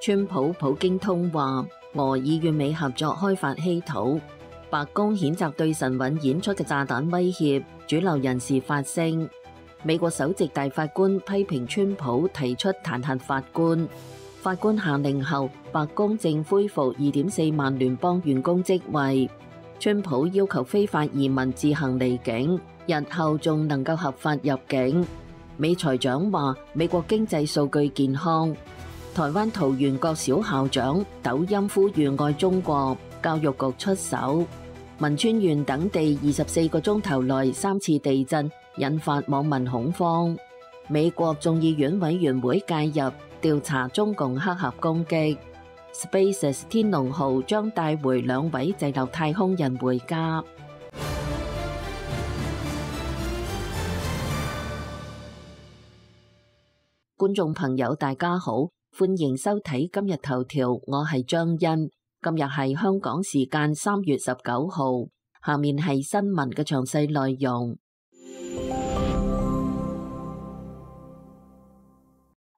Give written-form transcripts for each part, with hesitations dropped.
川普普京通話，俄以與美合作開發稀土。白宮譴責對神韻演出嘅炸彈威脅，主流人士發聲。美國首席大法官批評川普提出彈劾法官。法官下令後，白宮正恢復2.4萬聯邦員工職位。川普要求非法移民自行離境，日後仲能夠合法入境。美財長話美國經濟數據健康。台灣桃園國小校長抖音呼籲愛中國，教育局出手。汶川縣等地24個鐘頭內3次地震，引發網民恐慌。美國眾議院委員會介入調查中共黑客攻擊。SpaceX 天龍號將帶回2位滯留太空人回家。觀眾朋友大家好，歡迎收睇今日頭條，我係張欣。今日係香港時間3月19號，下面係新聞嘅詳細內容。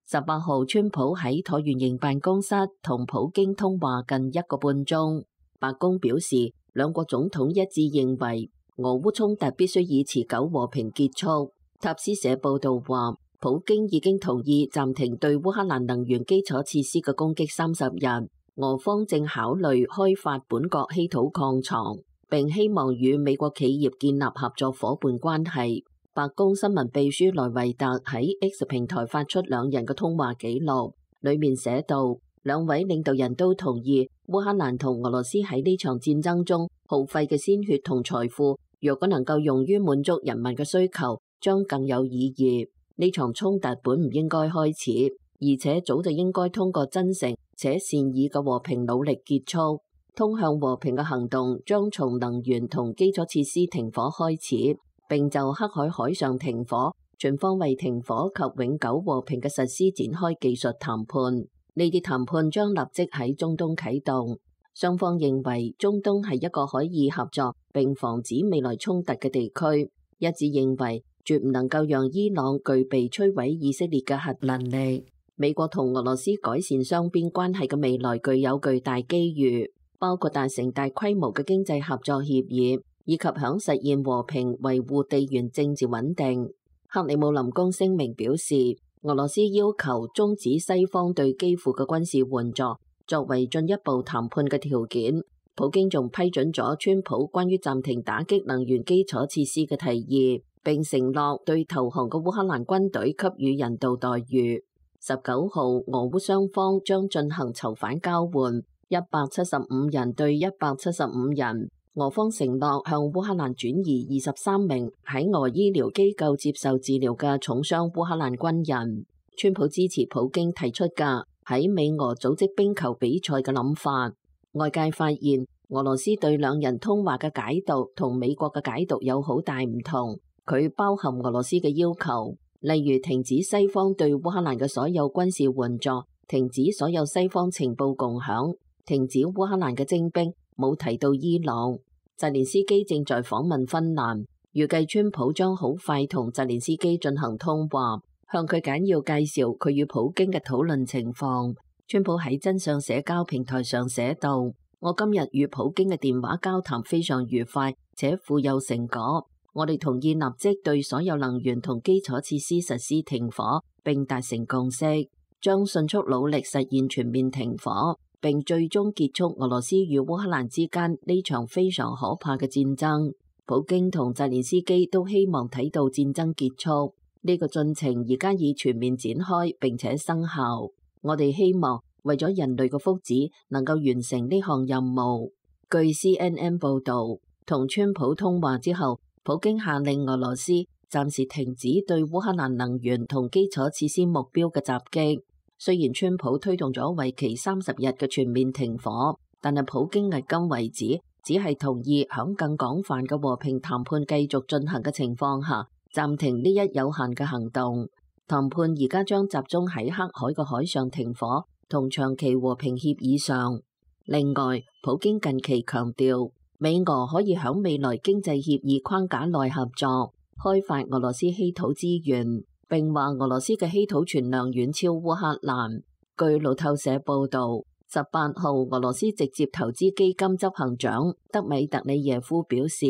18號，川普喺橢圓形辦公室同普京通話近1個半鐘。白宮表示，兩國總統一致認為俄烏衝突必須以持久和平結束。塔斯社報道話，普京已經同意暫停對烏克蘭能源基礎設施嘅攻擊30日。俄方正考慮開發本國稀土礦床，並希望與美國企業建立合作夥伴關係。白宮新聞秘書萊維特喺 X 平台發出兩人嘅通話記錄，裏面寫道，兩位領導人都同意烏克蘭同俄羅斯喺呢場戰爭中耗費嘅鮮血同財富，若果能夠用於滿足人民嘅需求，將更有意義。呢場衝突本唔應該開始，而且早就應該通過真誠且善意嘅和平努力結束。通向和平嘅行動將從能源同基礎設施停火開始，並就黑海海上停火、全方位停火及永久和平嘅實施展開技術談判。呢啲談判將立即喺中東啟動。雙方認為中東係一個可以合作並防止未來衝突嘅地區，一致認為絕唔能夠讓伊朗具備摧毀以色列嘅核能力。美國同俄羅斯改善雙邊關係嘅未來具有巨大機遇，包括達成大規模嘅經濟合作協議，以及響實現和平維護地緣政治穩定。克里姆林宮聲明表示，俄羅斯要求終止西方對基輔嘅軍事援助，作為進一步談判嘅條件。普京仲批准咗川普關於暫停打擊能源基礎設施嘅提議，並承諾對投降嘅烏克蘭軍隊給予人道待遇。19號，俄烏雙方將進行囚犯交換，175人對175人。俄方承諾向烏克蘭轉移23名喺俄醫療機構接受治療嘅重傷烏克蘭軍人。川普支持普京提出嘅喺美俄組織冰球比賽嘅諗法。外界發現俄羅斯對兩人通話嘅解讀同美國嘅解讀有好大唔同。佢包含俄羅斯嘅要求，例如停止西方對烏克蘭嘅所有軍事援助，停止所有西方情報共享，停止烏克蘭嘅徵兵，冇提到伊朗。澤連斯基正在訪問芬蘭，預計川普將好快同澤連斯基進行通話，向佢簡要介紹佢與普京嘅討論情況。川普喺真相社交平台上寫道：我今日與普京嘅電話交談非常愉快，且富有成果。我哋同意立即對所有能源同基礎設施實施停火，並達成共識，將迅速努力實現全面停火，並最終結束俄羅斯與烏克蘭之間呢場非常可怕嘅戰爭。普京同澤連斯基都希望睇到戰爭結束，呢個進程而家已全面展開並且生效。我哋希望為咗人類嘅福祉，能夠完成呢項任務。據 CNN 報導，同川普通話之後，普京下令俄羅斯暫時停止對烏克蘭能源同基礎設施目標嘅襲擊。雖然川普推動咗為期30日嘅全面停火，但係普京迄今為止只係同意響更廣泛嘅和平談判繼續進行嘅情況下，暫停呢一有限嘅行動。談判而家將集中喺黑海嘅海上停火同長期和平協議上。另外，普京近期強調，美俄可以響未來經濟協議框架內合作，開發俄羅斯稀土資源，並話俄羅斯嘅稀土存量遠超烏克蘭。據路透社報導，18號俄羅斯直接投資基金執行長德米特里耶夫表示，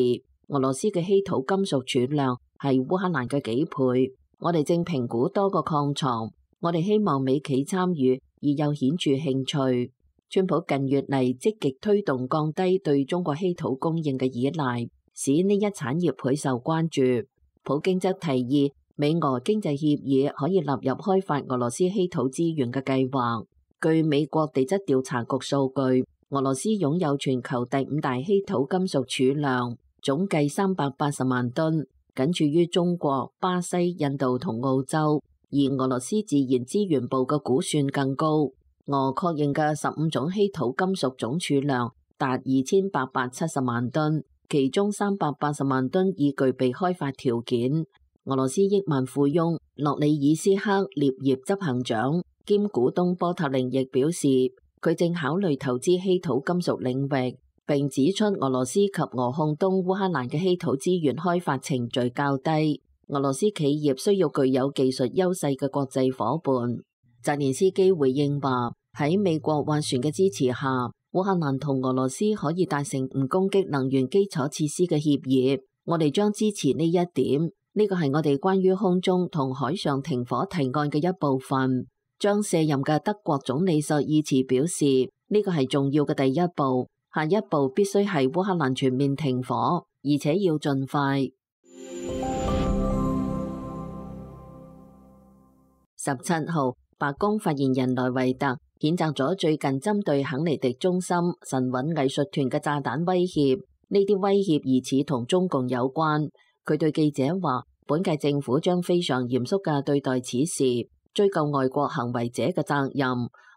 俄羅斯嘅稀土金屬儲量係烏克蘭嘅幾倍。我哋正評估多個礦床，我哋希望美企參與，而有顯著興趣。川普近月嚟積極推動降低對中國稀土供應嘅依賴，使呢一產業倍受關注。普京則提議美俄經濟協議可以納入開發俄羅斯稀土資源嘅計劃。據美國地質調查局數據，俄羅斯擁有全球第5大稀土金屬儲量，總計380萬噸，僅次於中國、巴西、印度同澳洲。而俄羅斯自然資源部嘅估算更高，俄確認嘅15種稀土金屬總儲量達2870萬噸，其中380萬噸已具備開發條件。俄羅斯億萬富翁諾里爾斯克列葉執行長兼股東波塔令亦表示，佢正考慮投資稀土金屬領域，並指出俄羅斯及俄控東烏克蘭嘅稀土資源開發程序較低，俄羅斯企業需要具有技術優勢嘅國際夥伴。澤連斯基回應話，喺美國斡旋嘅支持下，烏克蘭同俄羅斯可以達成唔攻擊能源基礎設施嘅協議，我哋將支持呢一點。呢個係我哋關於空中同海上停火提案嘅一部分。將卸任嘅德國總理朔爾茨表示，呢個係重要嘅第一步，下一步必須係烏克蘭全面停火，而且要盡快。17號，白宮發言人萊維特譴責咗最近針對肯尼迪中心神韻藝術團嘅炸彈威脅，呢啲威脅疑似同中共有關。佢對記者話，本屆政府將非常嚴肅嘅對待此事，追究外國行為者嘅責任。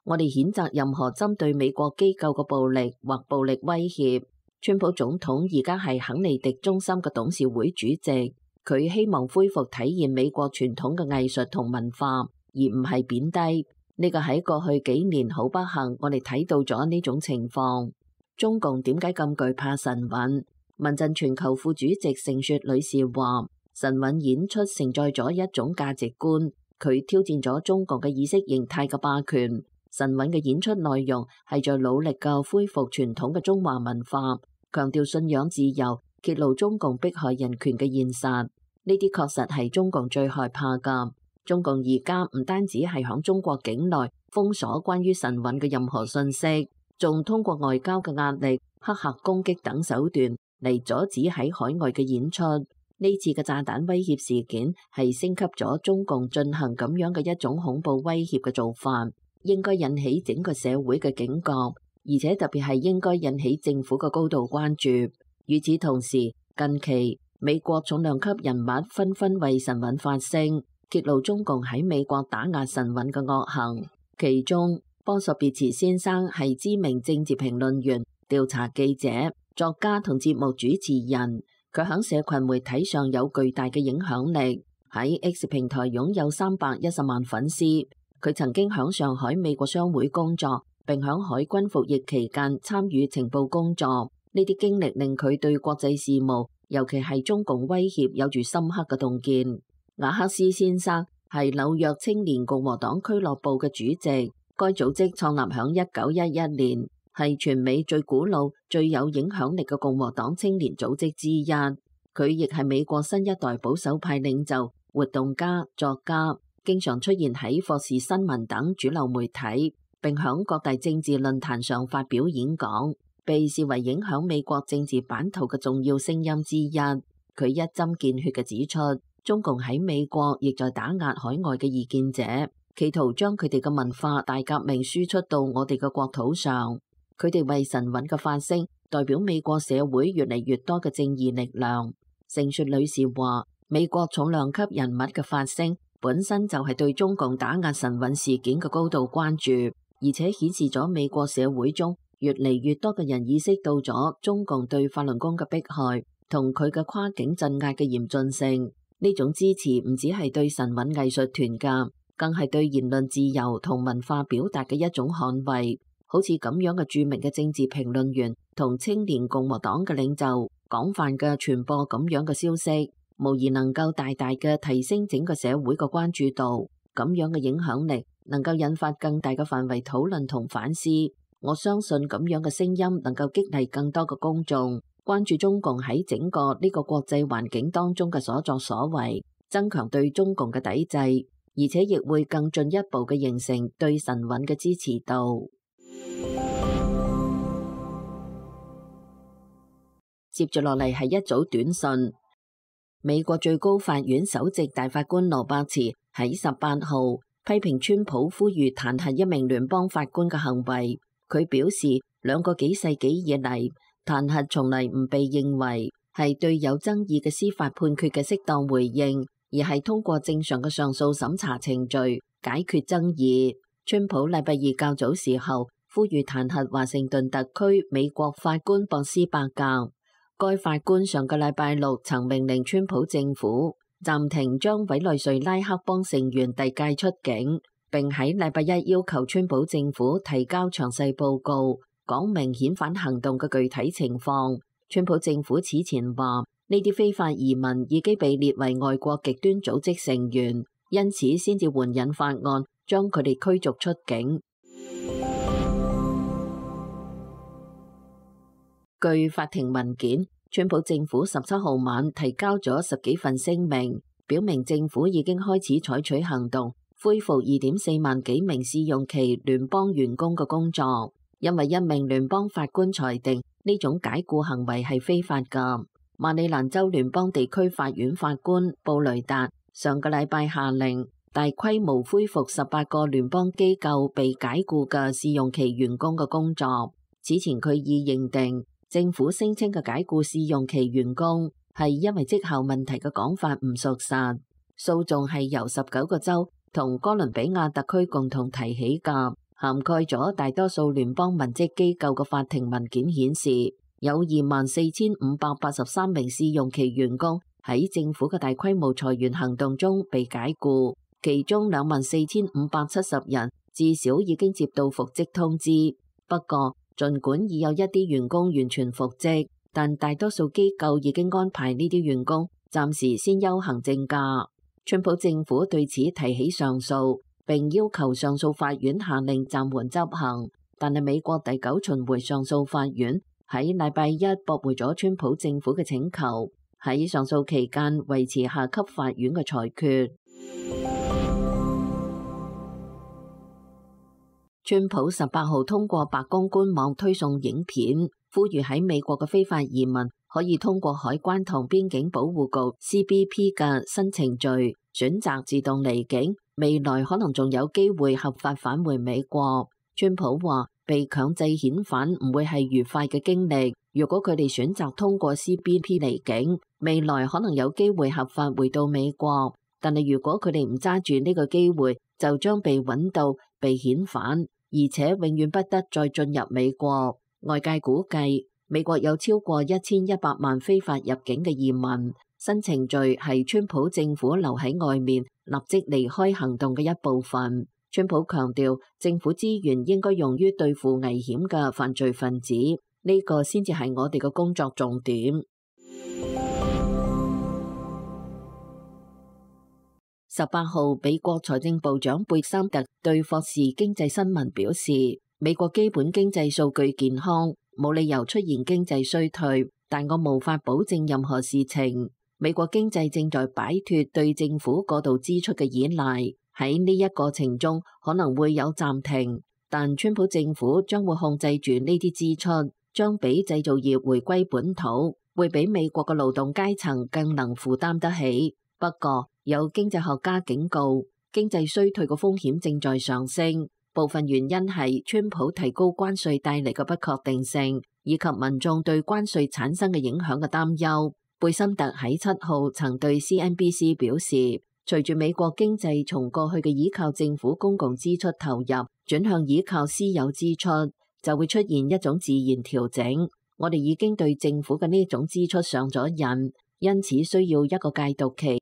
我哋譴責任何針對美國機構嘅暴力或暴力威脅。川普總統而家係肯尼迪中心嘅董事會主席，佢希望恢復體現美國傳統嘅藝術同文化，而唔係貶低。呢個喺過去幾年好不幸，我哋睇到咗呢種情況。中共點解咁懼怕神韻？民陣全球副主席盛雪女士話，神韻演出承載咗一種價值觀，佢挑戰咗中國嘅意識形態嘅霸權。神韻嘅演出內容係在努力嘅恢復傳統嘅中華文化，強調信仰自由，揭露中共迫害人權嘅現實。呢啲確實係中共最害怕㗎。中共而家唔單止係響中國境內封鎖關於神韻嘅任何信息，仲通過外交嘅壓力、黑客攻擊等手段嚟阻止喺海外嘅演出。呢次嘅炸彈威脅事件係升級咗中共進行咁樣嘅一種恐怖威脅嘅做法，應該引起整個社會嘅警覺，而且特別係應該引起政府嘅高度關注。與此同時，近期美國重量級人物紛紛為神韻發聲，揭露中共喺美國打壓神韻嘅惡行。其中，波索別茨先生係知名政治評論員、調查記者、作家同節目主持人。佢喺社群媒體上有巨大嘅影響力，喺 X 平台擁有310萬粉絲。佢曾經喺上海美國商會工作，並喺海軍服役期間參與情報工作。呢啲經歷令佢對國際事務，尤其係中共威脅，有住深刻嘅洞見。瓦克斯先生係紐約青年共和黨俱樂部嘅主席，該組織創立喺1911年。係全美最古老、最有影響力嘅共和黨青年組織之一。佢亦係美國新一代保守派領袖、活動家、作家，經常出現喺霍士新聞等主流媒體，並響各大政治論壇上發表演講，被視為影響美國政治版圖嘅重要聲音之一。佢一針見血嘅指出，中共喺美國亦在打壓海外嘅異見者，企圖將佢哋嘅文化大革命輸出到我哋嘅國土上。佢哋為神韻嘅發聲，代表美國社會越嚟越多嘅正義力量。盛雪女士話，美國重量級人物嘅發聲本身就係對中共打壓神韻事件嘅高度關注，而且顯示咗美國社會中越嚟越多嘅人意識到咗中共對法輪功嘅迫害同佢嘅跨境鎮壓嘅嚴峻性。呢種支持唔只係對神韻藝術團㗎，更係對言論自由同文化表達嘅一種捍衛。好似咁樣嘅著名嘅政治評論員同青年共和黨嘅領袖廣泛嘅傳播咁樣嘅消息，無疑能夠大大嘅提升整個社會嘅關注度。咁樣嘅影響力能夠引發更大嘅範圍討論同反思。我相信咁樣嘅聲音能夠激勵更多嘅公眾關注中共喺整個呢個國際環境當中嘅所作所為，增強對中共嘅抵制，而且亦會更進一步嘅形成對神韻嘅支持度。接住落嚟係一組短訊。美國最高法院首席大法官羅伯茨喺18號批評川普呼籲彈劾一名聯邦法官嘅行為。佢表示，2個幾世紀以嚟，彈劾從嚟唔被認為係對有爭議嘅司法判決嘅適當回應，而係通過正常嘅上訴審查程序解決爭議。川普禮拜二較早時候呼籲彈劾華盛頓特區美國法官博斯伯格。該法官上個禮拜六曾命令川普政府暫停將委內瑞拉黑幫成員遞解出境，並喺禮拜一要求川普政府提交詳細報告，講明遣返行動嘅具體情況。川普政府此前話，呢啲非法移民已經被列為外國極端組織成員，因此先至援引法案將佢哋驅逐出境。據法庭文件，川普政府17號晚提交咗10幾份聲明，表明政府已經開始採取行動，恢復2.4萬幾名試用期聯邦員工嘅工作，因為一名聯邦法官裁定呢種解僱行為係非法㗎。馬里蘭州聯邦地區法院法官布雷達上個禮拜下令大規模恢復18個聯邦機構被解僱嘅試用期員工嘅工作。此前佢已認定政府聲稱嘅解僱試用期員工係因為績效問題嘅講法唔屬實。訴訟係由19個州同哥倫比亞特區共同提起㗎，涵蓋咗大多數聯邦文職機構嘅法庭文件顯示，有24,583名試用期員工喺政府嘅大規模裁員行動中被解僱，其中24,570人至少已經接到復職通知。不過，儘管已有一啲員工完全復職，但大多數機構已經安排呢啲員工暫時先休行政假。川普政府對此提起上訴，並要求上訴法院下令暫緩執行，但係美國第9巡迴上訴法院喺禮拜一駁回咗川普政府嘅請求，喺上訴期間維持下級法院嘅裁決。川普18號通過白宮官網推送影片，呼籲喺美國嘅非法移民可以通過海關同邊境保護局 CBP 嘅新程序選擇自動離境，未來可能仲有機會合法返回美國。川普話被強制遣返唔會係愉快嘅經歷，如果佢哋選擇通過 CBP 離境，未來可能有機會合法回到美國，但係如果佢哋唔揸住呢個機會，就將被揾到被遣返，而且永遠不得再進入美國。外界估計美國有超過1100萬非法入境嘅移民，新程序係川普政府留喺外面立即離開行動嘅一部分。川普強調政府資源應該用於對付危險嘅犯罪分子，呢個先至係我哋嘅工作重點。18號，美國財政部長貝森特對霍士經濟新聞表示，美國基本經濟數據健康，冇理由出現經濟衰退，但我無法保證任何事情。美國經濟正在擺脫對政府過度支出嘅依賴，喺呢一過程中可能會有暫停，但川普政府將會控制住呢啲支出，將俾製造業回歸本土，會比美國嘅勞動階層更能負擔得起。不過，有經濟學家警告，經濟衰退嘅風險正在上升，部分原因係川普提高關稅帶嚟嘅不確定性，以及民眾對關稅產生嘅影響嘅擔憂。貝森特喺7號曾對 CNBC 表示，隨住美國經濟從過去嘅依靠政府公共支出投入，轉向依靠私有支出，就會出現一種自然調整。我哋已經對政府嘅呢種支出上咗癮，因此需要一個戒毒期。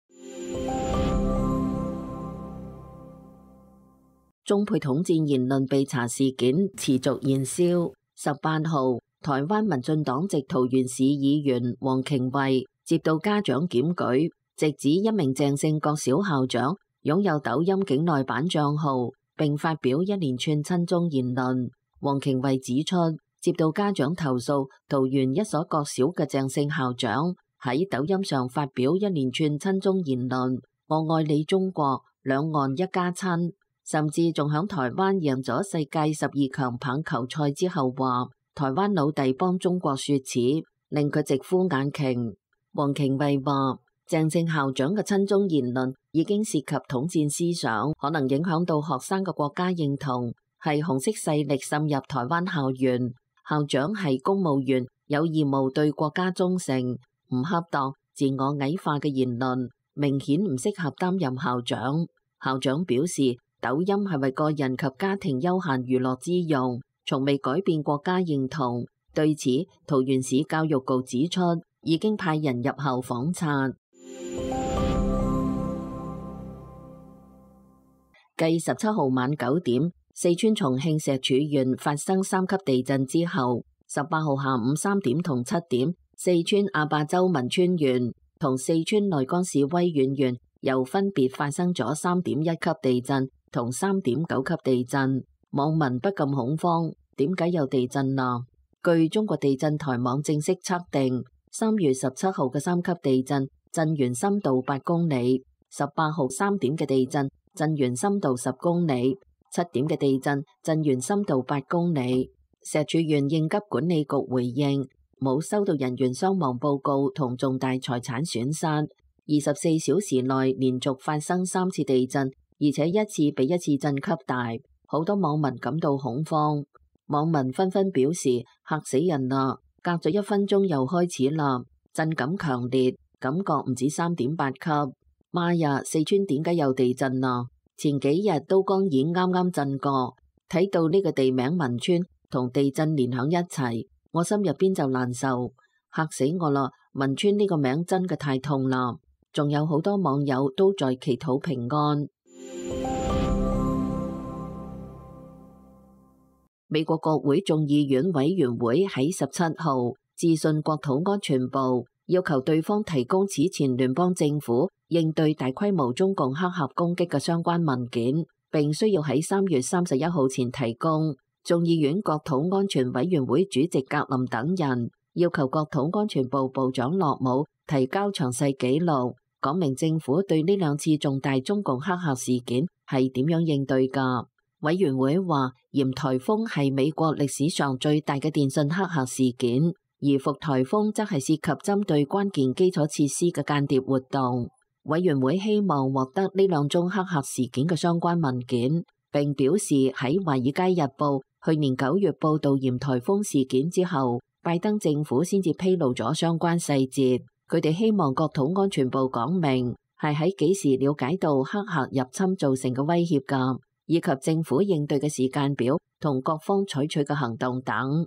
中配統戰言論被查事件持續燃燒。18號，台灣民進黨籍桃園市議員黃瓊慧接到家長檢舉，直指一名鄭姓國小校長擁有抖音境內版賬號，並發表一連串親中言論。黃瓊慧指出，接到家長投訴，桃園一所國小嘅鄭姓校長喺抖音上發表一連串親中言論，我愛你中國，兩岸一家親，甚至仲響台灣贏咗世界12強棒球賽之後話台灣老弟幫中國說恥，令佢直呼眼瓊。黃瓊慧話，鄭姓校長嘅親中言論已經涉及統戰思想，可能影響到學生嘅國家認同，係紅色勢力滲入台灣校園。校長係公務員，有義務對國家忠誠，唔恰當、自我矮化嘅言論，明顯唔適合擔任校長。校長表示，抖音係為個人及家庭休閒娛樂之用，從未改變國家認同。對此，桃園市教育局指出，已經派人入校訪察。繼17號晚9點，四川重慶石柱縣發生3級地震之後，18號下午3點同7點，四川阿壩州汶川縣同四川內江市威遠縣又分別發生咗3.1級地震同3.9級地震。網民不禁恐慌，點解有地震啊？據中國地震台網正式測定，3月17號嘅3級地震震源深度8公里，18號3點嘅地震震源深度10公里，7點嘅地震震源深度8公里。石柱縣應急管理局回應，冇收到人員傷亡報告同重大財產損失。24小時內連續發生3次地震，而且一次比一次震級大，好多網民感到恐慌。網民紛紛表示嚇死人啦，隔咗1分鐘又開始啦，震感強烈，感覺唔止3.8級。媽呀！四川點解有地震啊？前幾日都江堰啱啱震過，睇到呢個地名汶川同地震連響一齊，我心入邊就難受，嚇死我啦！汶川呢個名真嘅太痛啦。仲有好多網友都在祈禱平安。美國國會眾議院委員會喺17號致信國土安全部，要求對方提供此前聯邦政府應對大規模中共黑客攻擊嘅相關文件，並需要喺3月31號前提供。眾議院國土安全委員會主席格林等人要求國土安全部部長洛姆提交詳細記錄，講明政府對呢2次重大中共黑客事件係點樣應對㗎。委員會話，鹽颱風係美國歷史上最大嘅電信黑客事件，而伏颱風則係涉及針對關鍵基礎設施嘅間諜活動。委員會希望獲得呢2宗黑客事件嘅相關文件，並表示喺《華爾街日報》去年9月報導鹽颱風事件之後，拜登政府先至披露咗相關細節。佢哋希望國土安全部講明係喺幾時了解到黑客入侵造成嘅威脅㗎，以及政府應對嘅時間表同各方採取嘅行動等。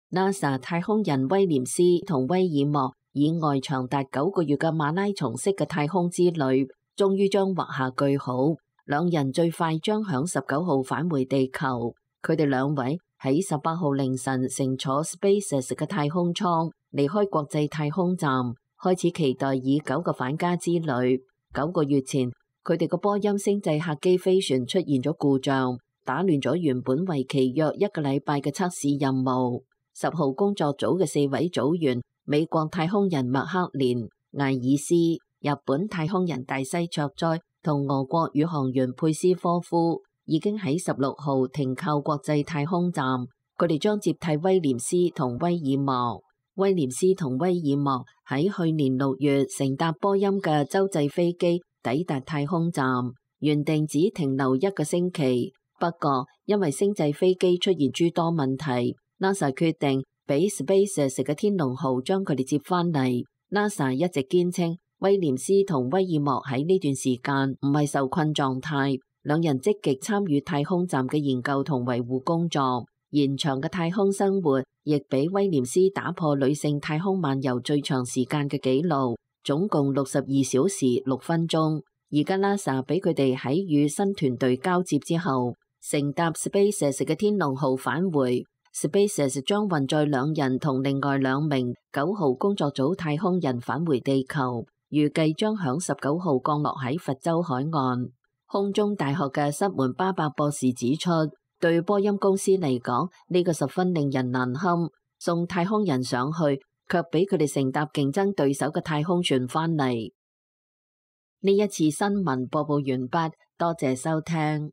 NASA 太空人威廉斯同威爾莫以外長達9個月嘅馬拉松式嘅太空之旅，終於將畫下句號。兩人最快將響19號返回地球。佢哋2位喺18號凌晨乘坐 SpaceX 嘅太空艙離開國際太空站，開始期待已久嘅返家之旅。9個月前，佢哋個波音星際客機飛船出現咗故障，打亂咗原本為期約1個禮拜嘅測試任務。10號工作組嘅4位組員，美國太空人麥克連、艾爾斯、日本太空人大西卓哉同俄國宇航員佩斯科夫，已經喺16號停靠國際太空站。佢哋將接替威廉斯同威爾莫。威廉斯同威爾莫喺去年6月乘搭波音嘅洲際飛機抵達太空站，原定只停留1個星期。不過因為星際飛機出現諸多問題，NASA 決定俾 SpaceX 嘅天龍號將佢哋接返嚟。NASA 一直堅稱威廉斯同威爾莫喺呢段時間唔係受困狀態，兩人積極參與太空站嘅研究同維護工作。延長嘅太空生活亦俾威廉斯打破女性太空漫遊最長時間嘅紀錄，總共62小時6分鐘。而家 NASA 俾佢哋喺與新團隊交接之後，乘搭 SpaceX 嘅天龍號返回。SpaceX 將運載2人同另外2名9號工作組太空人返回地球，預計將響19號降落喺佛州海岸。空中大學嘅塞門巴伯博士指出，對波音公司嚟講，呢個十分令人難堪。送太空人上去，卻俾佢哋乘搭競爭對手嘅太空船返嚟。呢一次新聞播報完畢，多謝收聽。